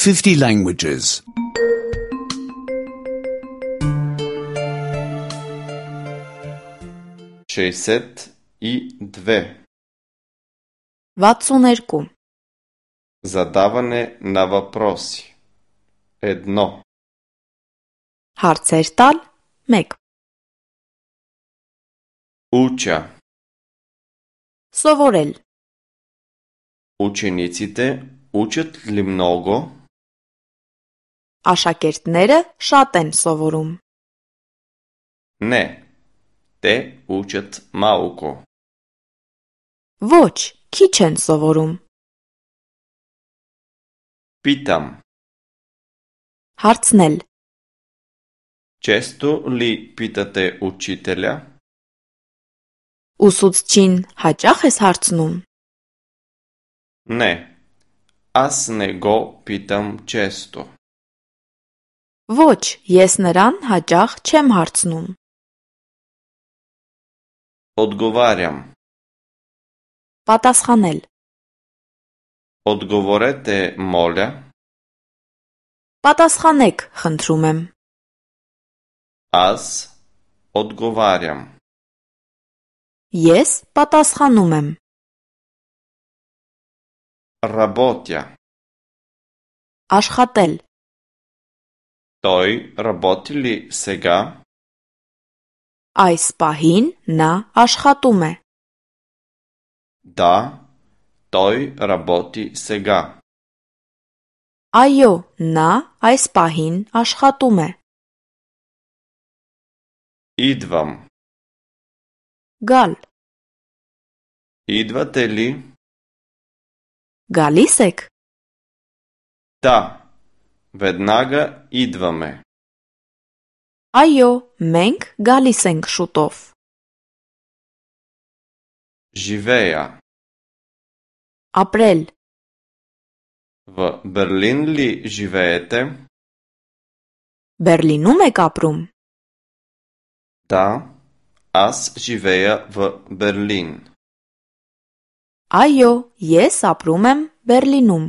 50 languages. 62. 62. Задаване на въпроси. 1. Հարցեր տալ 1. Уча. Սովորել. Учениците учат ли много? Աշակերտները շատ են սովորում. Не. Те учат малко. Ոչ, քիչ են սովորում. Питам. Հարցնել. Често ли питате учителя? Ուսուցչին հաճախ ես հարցնում. Не. Аз не го питам често. Ոչ, ես նրան հաճախ չեմ հարցնում. Отговарям. Պատասխանել. Отговорете, моля. Պատասխանեք, խնդրում եմ. Аз отговарям. Ես պատասխանում եմ. Работя. Աշխատել. Той работи ли сега? Այս պահին նա աշխատում է. Да, той работи сега. Այո, նա այս պահին աշխատում է. Идвам. Գալ. Идвате ли? Գալիս եք? Да, веднага идваме. Այո, մենք գալիս ենք շուտով. Живея. Ապրել. В Берлин ли живеете? Բերլինում եք ապրում? Да, аз живея в Берлин. Այո, ես ապրում եմ Բերլինում.